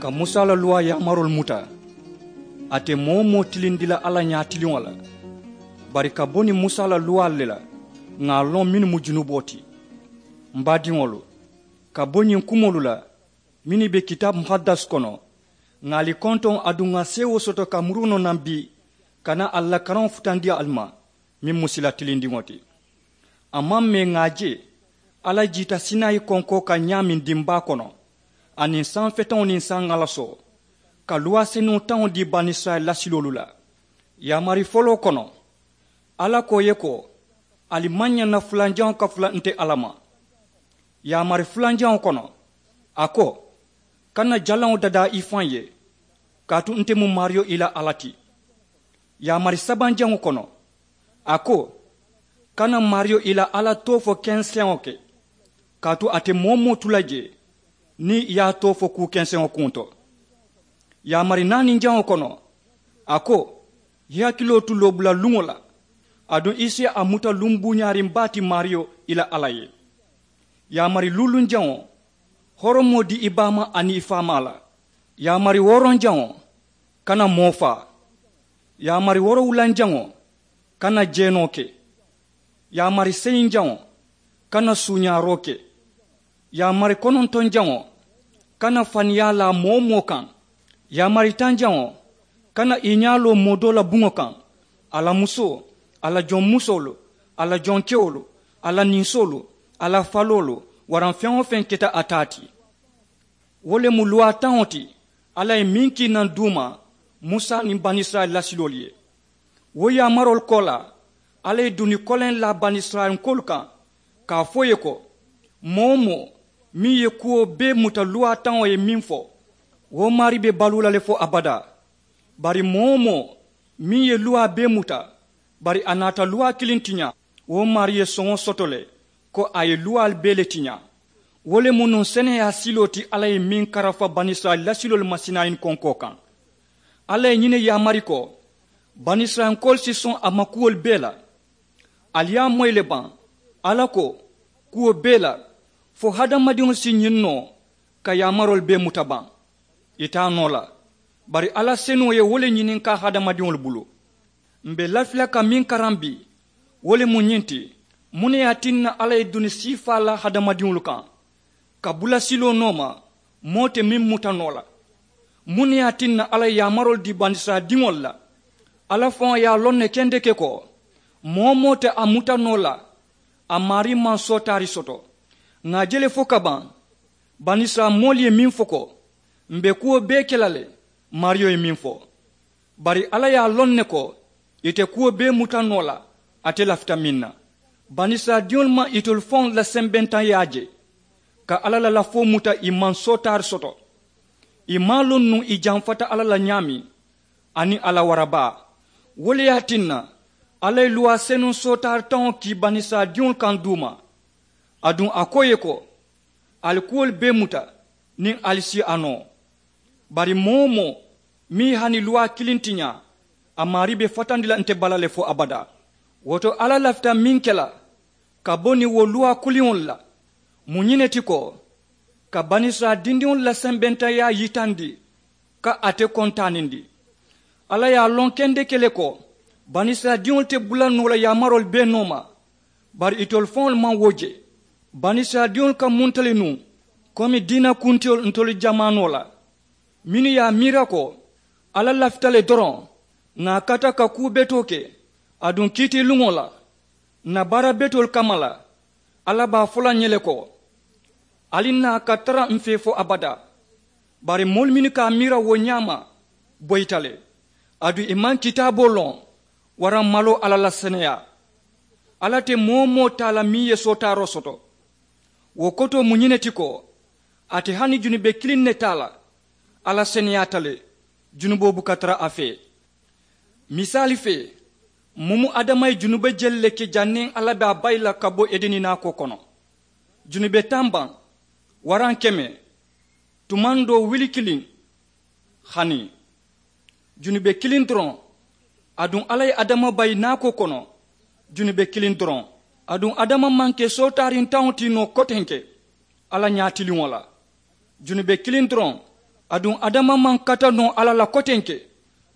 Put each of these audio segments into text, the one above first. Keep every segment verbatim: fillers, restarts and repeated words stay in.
Ka musa la luwaa yaamaroolu muta. A te moo-wo-moo tilindi la alla ñaatiliŋo la. Bari ka bo niŋ musa la luwaalu le la, ŋà a loŋ mennu mu junuboo ti. M baadiŋolu, ka bo ñiŋ kumoolu la mennu be kitaabu muhaddas kono, ŋà ali kontoŋ aduŋ ŋà seewoo soto ka murunoo naŋ bii, ka naa ali la karaŋo futandi ali ma, meŋ mu sila tilindiŋo ti. A maŋ mee ŋà a je alla jiita sinayi konkoo kaŋ ñaameŋ dimbaa kono, aniŋ saŋ feteŋo niŋ saŋ ŋalasoo, ka luwaa senuŋo taŋo dii banisirayila lasiloolu la. Yaamari foloo kono, alla ko ì ye ko, ali maŋ ñaŋ na fulanjaŋo kafula nte alla ma. Yaamari fulanjaŋo kono, a ko, kana jalaŋo dadaa i faŋ ye, kaatu nte mu maariyo i la alla ti. Yaamari sabanjaŋo kono, a ko, kana maariyo i la alla too fo kenseŋo ke, kaatu a te moo-wo-moo tu la jee niŋ i ye a too fo kuu kenseŋo kuŋo to. Yaamari naaninjaŋo kono, a ko, i hakiloo tu loobula luŋo la, aduŋ i si a muta luŋ buuñaariŋ baa ti maariyo i la alla ye. Yaamari luulunjaŋo, horomoo dii i baamaa aniŋ i faamaa la. Yaamari wooronjaŋo, kana moo faa. Yaamari woorowulanjaŋo, kana jeenoo ke. Yaamari seyinjaŋo, kana suuñaaroo ke. Yaamari konontonjaŋo, kana faniyaa laa moo-wo-moo kaŋ. Yaamari tanjaŋo, kana i ñaa loo moo doo la buŋo kaŋ, a la musoo, a la joŋ musoolu, a la joŋ kewolu, a la ninsoolu, a la faloolu, waraŋ feŋ-wo-feŋ keta a taa ti. Wo le mu luwaa taŋo ti alla ye meŋ kii naŋ duuma musa niŋ banisirayila lasiloolu ye. Wo yaamaroolu koolaa, alla ye duni koleŋ laa banisirayilankoolu kaŋ, ka a fo ì ye ko, moo-wo-moo meŋ ye kuwo bee muta luwaa taŋo ye meŋ fo, wo maarii be baluu la le fo abadaa. Bari moo-wo-moo meŋ ye luwaa bee muta, bari a naata luwaa kiliŋ tiñaa, wo maarii ye soŋo soto le ko a ye luwaalu bee le tiñaa. Wo le mu nuŋ seneyaa siloo ti alla ye meŋ karafa banisirayila lasiloolu ma sinayi konkoo kaŋ. Alla ye ñiŋ ne yaamari ko, banisirayilankoolu si soŋ a ma kuwolu bee la. Ali ye a moyi le baŋ? Alla ko, kuwo bee la, fo hadamadiŋolu si ñiŋ noo ka yaamaroolu bee muta baŋ? Ì te a noo la. Bari alla senuŋo ye wo le ñininkaa hadamadiŋolu bulu. M̀ be lafi la ka meŋ karaŋ bii, wo le mu ñiŋ ti, muŋ ne ye a tinna alla ye duni siifaa la hadamadiŋolu kaŋ, ka bula siloo nooma moo te meŋ muta noo la? Muŋ ne ye a tinna alla ye yaamaroolu dii banisirayila diŋolu la? Alla faŋo ye a loŋ ne kendeke ko, moo-wo-moo te a muta noo la a maarii maŋ sootaari soto. Ŋà a je le fo ka baŋ, banisirayila moolu ye meŋ fo ko, m̀ be kuwo bee ke la le, maariyo ye meŋ fo. Bari alla ye a loŋ ne ko, ì te kuwo bee muta noo la ate lafita meŋ na. Banisirayila diŋolu maŋ itolu faŋolu la sembentaŋyaa je, ka alla la lafoo muta ì maŋ sootaari soto. Ì maŋ a loŋ nuŋ ì jamfata alla la ñaameŋ, aniŋ a la wara baa. Wo le ye a tinna, alla ye luwaa senuŋ sootaari taŋo kii banisirayila diŋolu kaŋ duuma. Aduŋ a ko ì ye ko, ali kuwolu bee muta, niŋ ali si a noo. Bari moo-wo-moo meŋ ye hani luwaa kiliŋ tiñaa, a maarii be fatandi la nte bala le fo abadaa. Wo to alla lafita meŋ ke la ka bo niŋ wo luwaa kuliŋolu la, mu ñiŋ ne ti ko, ka banisirayila dindiŋolu la sembentaŋyaa yitandi, ka ate kontaanindi. Alla ye a loŋ kendeke le ko, banisirayila diŋolu te bula noo la yaamaroolu bee nooma. Bari itolu faŋolu maŋ wo je. Banisirayila diŋolu ka munta le nuŋ komi diina kuntiyolu ntolu jamaanoo la, mennu ye a miira ko, alla lafita le doroŋ ŋà a kata ka kuu betoo ke, aduŋ kiitiiluŋo la, ǹ na baara betoolu kamma la, alla be a fo la ǹ ye le ko, ali ǹ naa ka tara m̀ fee fo abadaa. Bari moolu mennu ka a miira wo ñaama boyita le, aduŋ ì maŋ kitaaboo loŋ waraŋ maloo alla la seneyaa. Alla te moo-wo-moo taa la meŋ ye sootaaroo soto. Wo kotoo mu ñiŋ ne ti ko, ate hani junube kiliŋ ne taa la, alla seneyaata le, junuboo buka tara a fee. Misaali fee, mumu adama ye junube jelu le ke janniŋ alla be a bayi la ka bo edeni naakoo kono. Junube taŋ baŋ, waraŋ keme, tumandoo wili kiliŋ, hani junube kiliŋ doroŋ. Aduŋ alla ye adama bayi naakoo kono junube kiliŋ doroŋ. Aduŋ adama maŋ ke sootaariŋ taŋo ti noo kotenke alla ñaatiliŋo la. Junube kiliŋ doroŋ, Aduŋ adama maŋ kata noo alla la kotenke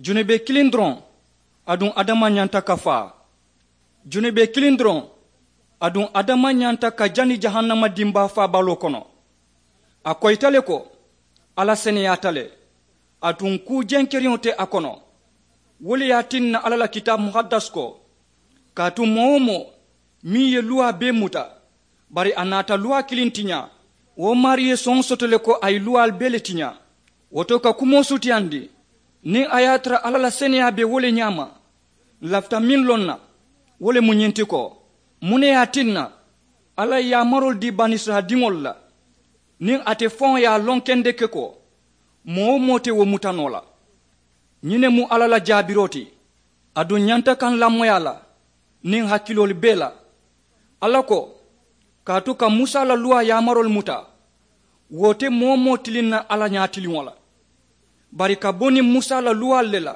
junube kiliŋ doroŋ. Aduŋ adama ñanta ka faa junube kiliŋ doroŋ. Aduŋ adama ñanta ka jani jahannama dimbaa faabaloo kono. A koyita le ko alla seneyaata le. Aduŋ kuu jenkeriŋo te a kono. Wo le ye a tinna alla la kitaabu muhaddas ko kaatu moo-wo-moo meŋ ye luwaa bee muta bari a naata luwaa kiliŋ tiñaa. Wo maarii ye soŋo soto le ko a ye luwaalu bee le tiñaa. Wo to ka kumoo sutiyandi niŋ a ye a tara alla la seneyaa be wo le ñaama. N lafita meŋ loŋ na wo le mu ñiŋ ti ko muŋ ne ye a tinna alla ye yaamaroolu dii banisirayila diŋolu la niŋ ate faŋo ye a loŋ kendeke ko moo-wo-moo te wo muta noo la. Ñiŋ ne mu alla la jaabiroo ti. Aduŋ ñanta ka n lamoyi a la niŋ hakiloolu bee la. Alla ko kaatu ka musa la luwaa yaamaroolu muta wo te moo-wo-moo tiliŋ na alla ñaatiliŋo la. Bari ka bo niŋ musa la luwaalu le la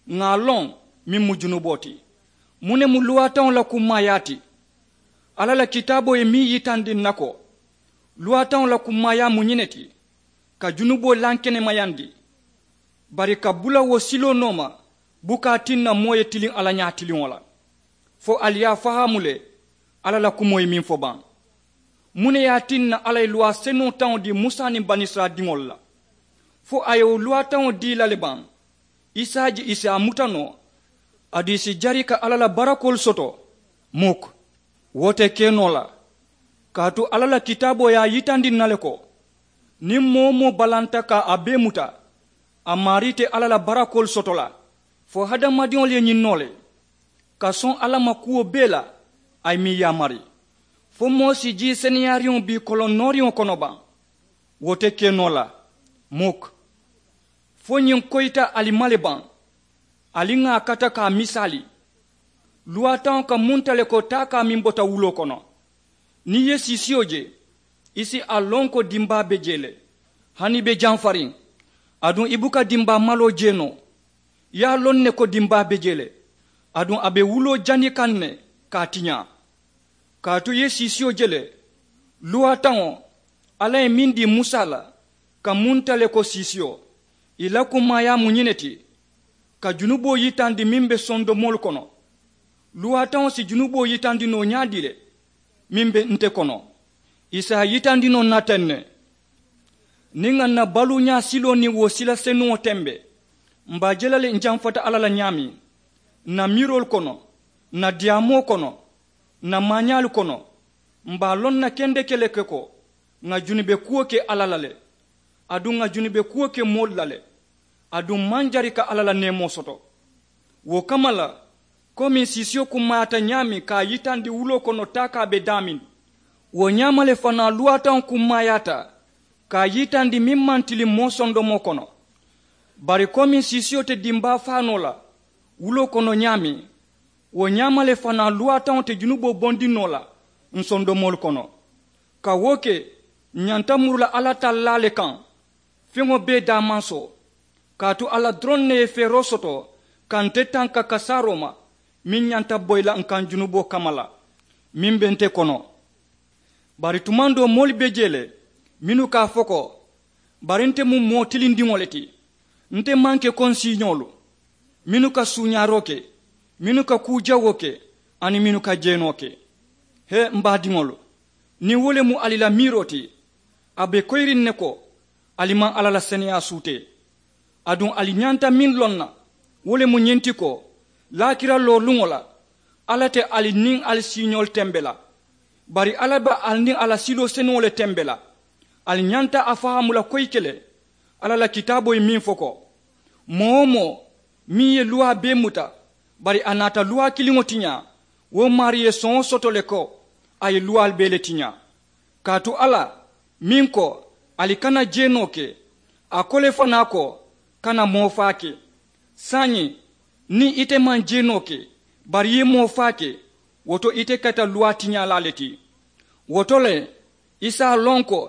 ŋà a loŋ meŋ mu junuboo ti. Muŋ ne mu luwaataŋo la kummaayaa ti? Alla la kitaaboo ye meŋ yitandi n na ko luwaataŋo la kummaayaa mu ñiŋ ne ti ka junuboo lankenemayandi. Bari ka bula wo siloo nooma buka a tinna moo ye tiliŋ alla ñaatiliŋo la. Fo ali ye a fahaamu le alla la kumoo ye meŋ fo baŋ? Muŋ ne ye a tinna alla ye luwaa senuŋo taŋo dii musa niŋ banisirayila diŋolu la? Fo a ye wo luwaa taŋo dii i la le baŋ? I si a je i si a muta noo aduŋ i si jari ka alla la barakoolu soto? Muk. Wo te ke noo la. Kaatu alla la kitaaboo ye a yitandi n na le ko niŋ moo-wo-moo balanta ka a bee muta a maarii te alla la barakoolu soto la. Fo hadamadiŋolu ye ñiŋ noo le ka soŋ alla ma kuwo bee la a ye meŋ yaamari. Fo moo si jii seneyaariŋo bii koloŋ nooriŋo kono baŋ? Wo te ke noo la. Muk. Fo ñiŋ koyita ali ma le baŋ? Ali ŋà a kata ka a misaali. Luwaataŋo ka munta le ko taakaa meŋ bota wuloo kono. Niŋ i ye siisiyo je i si a loŋ ko dimbaa be jee le. Hani i be jamfariŋ aduŋ i buka dimbaa maloo jee noo. I ye a loŋ ne ko dimbaa be jee le. Aduŋ a be wuloo jani kaŋ ne ka a tiñaa. Kaatu i ye siisiyo je le. Luwaataŋo alla ye meŋ dii musa la ka munta le ko siisiyo. I la kummaayaa mu ñiŋ ne ti ka junuboo yitandi meŋ be sondomoolu kono. Luwaataŋo si junuboo yitandi noo ñaadii le meŋ be nte kono? I si a yitandi noo n na teŋ ne. Niŋ ŋà n na baluuñaa siloo niŋ wo sila senuŋo tembe m̀ be a je la le n jamfata alla la ñaameŋ n na miiroolu kono n na diyaamoo kono n na maañaalu kono. M̀ be a loŋ na kendeke le ke ko ŋà junube kuwo ke alla la le. Aduŋ ŋà junube kuwo ke moolu la le. Aduŋ m̀ maŋ jari ka alla la neemoo soto. Wo kamma la komiŋ siisiyo kummaayaata ñaameŋ ka a yitandi wuloo kono taakaa be daameŋ wo ñaama le fanaa luwaataŋo kummaayaata ka a yitandi meŋ maŋ tiliŋ moo sondomoo kono. Bari komiŋ siisiyo te dimbaa faa noo la wuloo kono ñaameŋ wo ñaama le fanaa luwaataŋo te junuboo bondi noo la ǹ sondomoolu kono. Ka wo ke ǹ ñanta muru la alla tallaa le kaŋ feŋo bee daamansoo. Kaatu alla doroŋ ne ye feeroo soto ka nte tanka kasaaroo ma meŋ ñanta boyi la ǹ kaŋ junuboo kamma la meŋ be nte kono. Bari tumaŋ doo moolu be jee le mennu ka a fo ko bari nte mu moo tilindiŋo le ti. Nte maŋ ke ko ǹ siiñoolu mennu ka suuñaaroo ke mennu ka kuu jawoo ke aniŋ mennu ka jeenoo ke. He m̀ baadiŋolu niŋ wo le mu ali la miiroo ti a be koyiriŋ ne ko ali maŋ alla la seneyaa suutee. Aduŋ ali ñanta meŋ loŋ na wo le mu ñiŋ ti ko laakira looluŋo la alla te ali niŋ ali siiñoolu tembe la. Bari alla be ali niŋ a la siloo senuŋo le tembe la. Ali ñanta a fahaamu la koyike le alla la kitaaboo ye meŋ fo ko moo-wo-moo meŋ ye luwaa bee muta bari a naata luwaa kiliŋo tiñaa wo maarii ye soŋo soto le ko a ye luwaalu bee le tiñaa. Kaatu alla meŋ ko ali kana jeenoo ke a ko le fanaa ko kana moo faa ke. Saayiŋ niŋ ite maŋ jeenoo ke bari i ye moo faa ke wo to ite keta luwaa tiñaalaa le ti. Wo to le i si a loŋ ko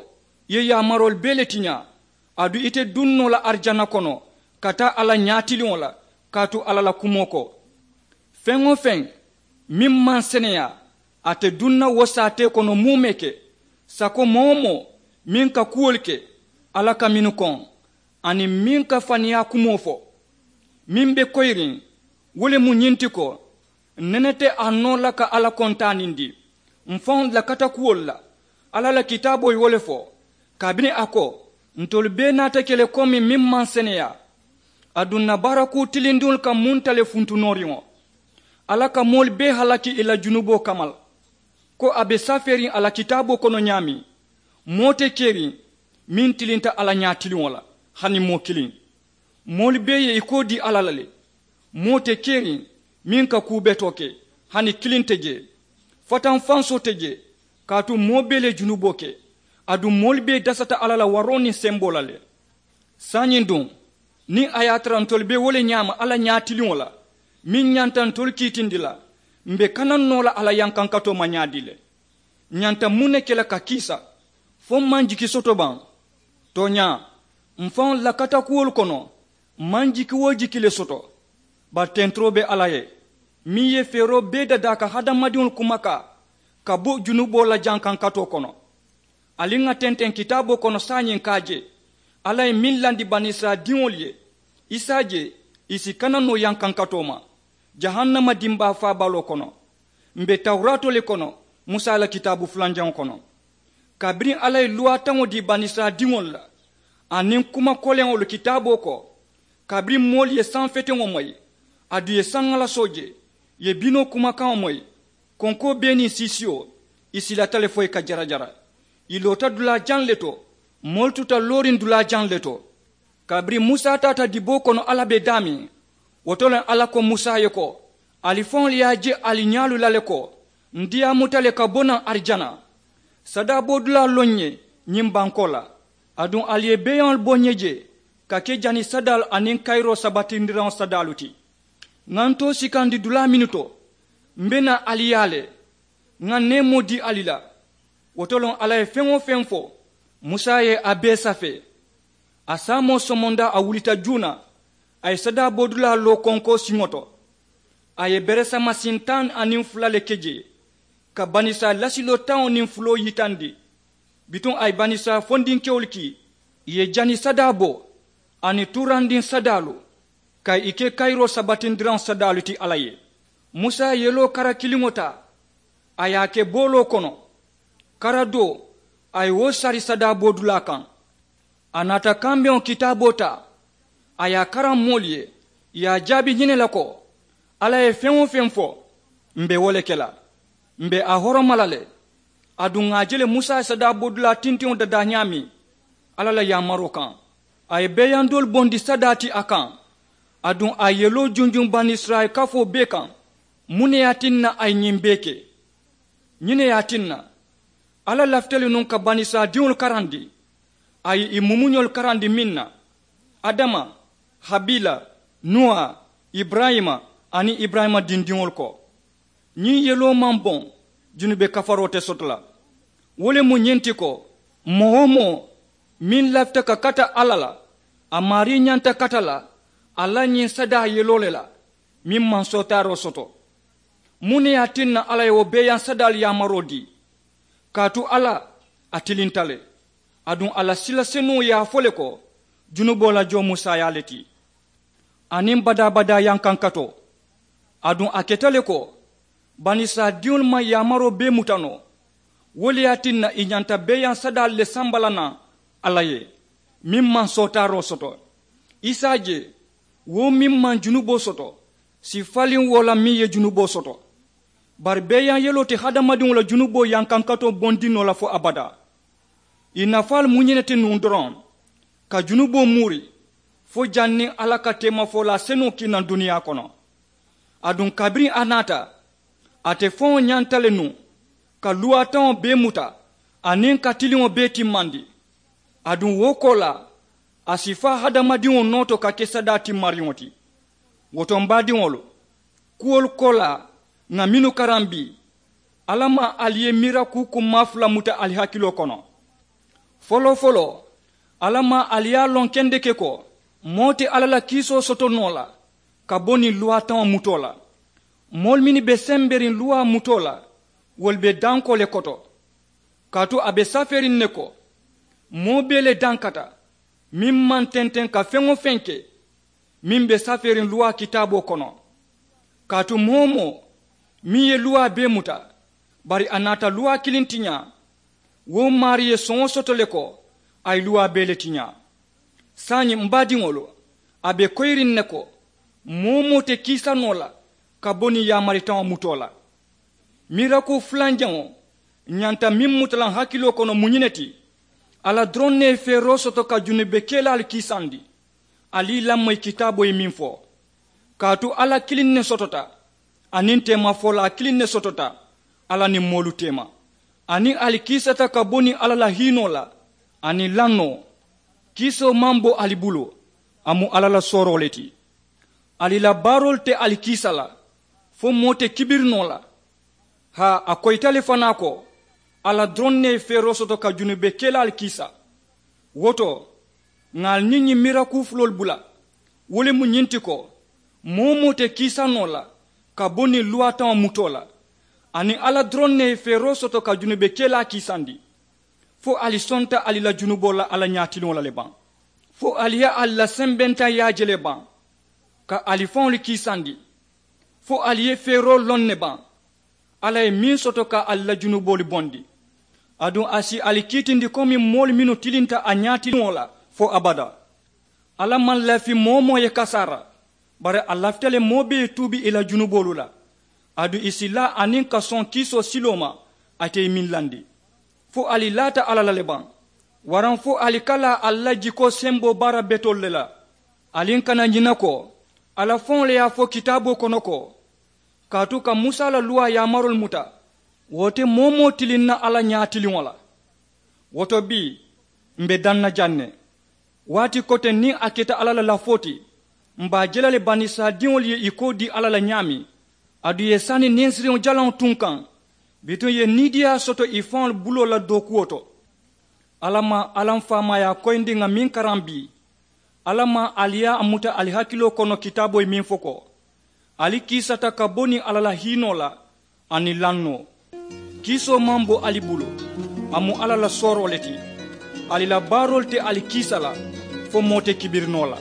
i ye yaamaroolu bee le tiñaa aduŋ ite duŋ noo la arijana kono ka taa alla ñaatiliŋo la. Kaatu alla la kumoo ko feŋ-wo-feŋ meŋ maŋ seneyaa ate duŋ na wo saatee kono muumee ke sako moo-wo-moo meŋ ka kuwolu ke alla ka mennu koŋ Aniŋ meŋ ka faniyaa kumoo fo, meŋ be koyiriŋ, wo le mu ñiŋ ti ko, nene te a noo la ka alla kontaanindi mfaŋolu la katakuwolu la. Alla la kitaaboo ye wo le fo, kabiriŋ a ko, ntolu bee naata ke le komi meŋ maŋ seneyaa. Aduŋ na baarakuu tilindiŋolu ka munta le funtunooriŋo. Alla ka moolu bee halaki ì la junuboo kamma la, ko a be safeeriŋ a la kitaaboo kono ñaameŋ. Moo te keriŋ meŋ tilinta alla ñaatiliŋo la, hani moo kiliŋ. Moolu bee ye ì koo dii alla la le. Moo te keriŋ meŋ ka kuu betoo ke, hani kiliŋ te jee. Fataŋ fansoo te jee, kaatu moo bee le junuboo ke. Aduŋ moolu bee dasata alla la waroo niŋ semboo la le. Saayiŋ duŋ, niŋ a ye a tara ntolu be wo le ñaama alla ñaatiliŋo la, meŋ ñanta ntolu kiitindi la, m̀ be kanaŋ noo la alla yankankatoo ma ñaadii le? Ñanta muŋ ne ke la ka kiisa? Fo m̀ maŋ jiki soto baŋ? Tooñaa, mfaŋolu la katakuwolu kono, m̀ maŋ jiki-wo-jiki le soto. Bari tenturoo be alla ye, meŋ ye feeroo bee dadaa ka hadamadiŋolu kumakaa ka bo junuboo la jankankatoo kono. Ali ŋà tenteŋ kitaaboo kono saayiŋ ka a je, alla ye meŋ landi banisirayila diŋolu ye, i si a je, i si kana noo yankankatoo ma jahannama dimbaa faabaloo kono. M̀ be tawuraatoo le kono, musa la kitaabu fulanjaŋo kono, kabiriŋ alla ye luwaataŋo dii banisirayila diŋolu la, aniŋ kuma koleŋolu kitaaboo ko, kabiriŋ moolu ye saŋ feteŋo moyi, aduŋ ì ye saŋ alasoo je, ì ye binoo kumakaŋo moyi, konkoo bee niŋ siisiyo, ì silata le fo ì ka jarajara. Ì loota dulaa jaŋ le to, moolu tuta looriŋ dulaa jaŋ le to. Kabiriŋ musa taata diboo kono alla be daameŋ, wo to le alla ko musa ye ko, ali faŋolu ye a je ali ñaalu la le ko, ǹ diyaamuta le ka bo naŋ arijana. Sadaaboo dulaa loŋ ye ñiŋ bankoo la, aduŋ ali ye beeyaŋolu bo ǹ ye je ka ke jani sadaalu aniŋ kayiroo sabatindiraŋo sadaalu ti. Ŋà ntoo sikandi dulaa mennu to, m̀ be naa ali yaa le, ŋà neemoo dii ali la. Wo to loŋ alla ye feŋ-wo-feŋ fo, musa ye a bee safee. A saamoo somondaa a wulita juuna, a ye sadaaboo dulaa loo konkoo siŋo to. A ye beresama siŋ taŋ aniŋ fula le ke jee, ka banisirayila lasiloo taŋo niŋ fuloo yitandi. Bituŋ a ye banisirayila fondinkewolu kii, ì ye jani sadaaboo aniŋ tuurandiŋ sadaalu, ka ì ke kayiroo sabatindiraŋo sadaalu ti alla ye. Musa ye yeloo kara kiliŋo taa, a ye a ke booloo kono. Kara doo, a ye wo sari sadaaboo dulaa kaŋ. A naata kambeŋo kitaaboo taa, a ye a karaŋ moolu ye, ì ye a jaabi ñiŋ ne la ko, alla ye feŋ-wo-feŋ fo, m̀ be wo le ke la. M̀ be a horoma la le. Aduŋ ŋà a je le musa ye sadaaboo dulaa tintiŋo dadaa ñaameŋ alla la yaamaroo kaŋ, a ye beeyaŋ doolu bondi sadaa ti a kaŋ. Aduŋ a ye yeloo junjuŋ banisirayila kafoo bee kaŋ. Muŋ ne ye a tinna a ye ñiŋ bee ke? Ñiŋ ne ye a tinna alla lafita le nuŋ ka banisirayila diŋolu karandi. A ye ì mumuñolu karandi meŋ na, adama, habila, nuwa, iburayima, aniŋ iburayima dindiŋolu ko. Ñiŋ yeloo maŋ boŋ, junube kafaroo te soto la. Wo le mu ñiŋ ti ko, moo-wo-moo meŋ lafita ka kata alla la, a maarii ñanta kata la a la ñiŋ sadaa yeloo le la, meŋ maŋ sootaaroo soto. Muŋ ne ye a tinna alla ye wo beeyaŋ sadaalu yaamaroo dii? Kaatu alla, a tilinta le. Aduŋ a la sila senuŋo ye a fo le ko, junuboo la joo mu saayaa le ti, aniŋ badaa-badaa yankankatoo. Aduŋ a keta le ko, banisirayila diŋolu maŋ yaamaroo bee muta noo. Wo le ye a tinna ì ñanta beeyaŋ sadaalu le samba la naŋ alla ye, meŋ maŋ sootaaroo soto. I si a je, wo meŋ maŋ junuboo soto si faliŋ wo la meŋ ye junuboo soto. Bari beeyaŋ yeloo te hadamadiŋo la junuboo yankankatoo bondi noo la fo abadaa. Ì nafaalu mu ñiŋ ne ti nuŋ doroŋ, ka junuboo muuri fo janniŋ alla ka teemafolaa senuŋo kii naŋ duniyaa kono. Aduŋ kabiriŋ a naata, ate faŋo ñanta le nuŋ ka luwaataŋo bee muta aniŋ ka tiliŋo bee timmandi. Aduŋ wo koolaa, a si faa hadamadiŋo noo to ka ke sadaa timmariŋo ti. Wo to m baadiŋolu, kuwolu koolaa ŋà mennu karaŋ bii, alla maŋ ali ye miira kuu kummaa fula muta ali hakiloo kono. Foloo-foloo, alla maŋ ali ye a loŋ kendeke ko, moo te alla la kiisoo soto noo la ka bo niŋ luwaataŋo mutoo la. Moolu mennu be semberiŋ luwaa mutoo la, wolu be dankoo le koto. Kaatu a be safeeriŋ ne ko, moo bee le dankata, Meŋ maŋ tenteŋ ka feŋ-wo-feŋ ke meŋ be safeeriŋ luwaa kitaaboo kono. Kaatu moo-wo-moo meŋ ye luwaa bee muta bari a naata luwaa kiliŋ tiñaa, wo maarii ye soŋo soto le ko a ye luwaa bee le tiñaa. Saayiŋ m baadiŋolu, a be koyiriŋ ne ko moo-wo-moo te kiisa noo la ka bo niŋ yaamari taŋo mutoo la. Mirakuu fulanjaŋo ñanta meŋ muta la n hakiloo kono mu ñiŋ ne ti. Alla doroŋ ne ye feeroo soto ka junubekelaalu kiisandi. Ali i lamoyi kitaaboo ye meŋ fo, kaatu alla kiliŋ ne sotota, aniŋ teemafolaa kiliŋ ne sotota alla niŋ moolu teema. Aniŋ ali kiisata ka bo niŋ alla la hiinoo la aniŋ lannoo. Kiisoo maŋ bo ali bulu, a mu alla la sooroo le ti. Ali la baaroolu te ali kiisa la, fo moo te kibiri noo la. Haa a koyita le fanaa ko alla doroŋ ne ye feeroo soto ka junubekelaalu kiisa. Wo to, ŋà ali niŋ ñiŋ mirakuu fuloolu bula. Wo le mu ñiŋ ti ko moo-wo-moo te kiisa noo la ka bo niŋ luwaataŋo mutoo la. Aniŋ alla doroŋ ne ye feeroo soto ka junubekelaa kiisandi. Fo ali sonta ali la junuboo la alla ñaatiliŋo la le baŋ? Fo ali ye ali la sembentaŋyaa je le baŋ ka ali faŋolu kiisandi? Fo ali ye feeroo loŋ ne baŋ alla ye meŋ soto ka ali la junuboolu bondi? Aduŋ a si ali kiitindi komi moolu mennu tilinta a ñaatiliŋo la fo abadaa. Alla maŋ lafi moo-wo-moo ye kasaara, bari a lafita le moo bee ye tuubi ì la junuboolu la. Aduŋ ì si laa aniŋ ka soŋ kiisoo siloo ma ate ye meŋ landi. Fo ali laata alla la le baŋ? Waraŋ fo ali ka laa ali la jikoo semboo baara betoolu le la? Ali n kana ñina ko alla faŋo le ye a fo kitaaboo kono ko, kaatu ka musa la luwaa yaamaroolu muta, wo te moo-wo-moo tilinna alla ñaatiliŋo la. Wo to bii, m̀ be daŋ na jaŋ ne. Waati koteŋ niŋ a keta alla la lafoo ti, m̀ be a je la le banisirayila diŋolu ye ì koo dii alla la ñaameŋ. Aduŋ ì ye sani ninsiriŋo jalaŋo tunkaŋ, bituŋ ì ye niidiiyaa soto ì faŋolu buloo la dookuwo to. Alla maŋ alla m faamaayaa koyindi ŋà meŋ karaŋ bii. Alla maŋ ali ye a muta ali hakiloo kono kitaaboo ye meŋ fo ko, ali kiisata ka bo niŋ alla la hiinoo la aniŋ lannoo. Kiisoo maŋ bo ali bulu, a mu alla la sooroo le ti. Ali la baaroolu te ali kiisa la, fo moo te kibiri noo la.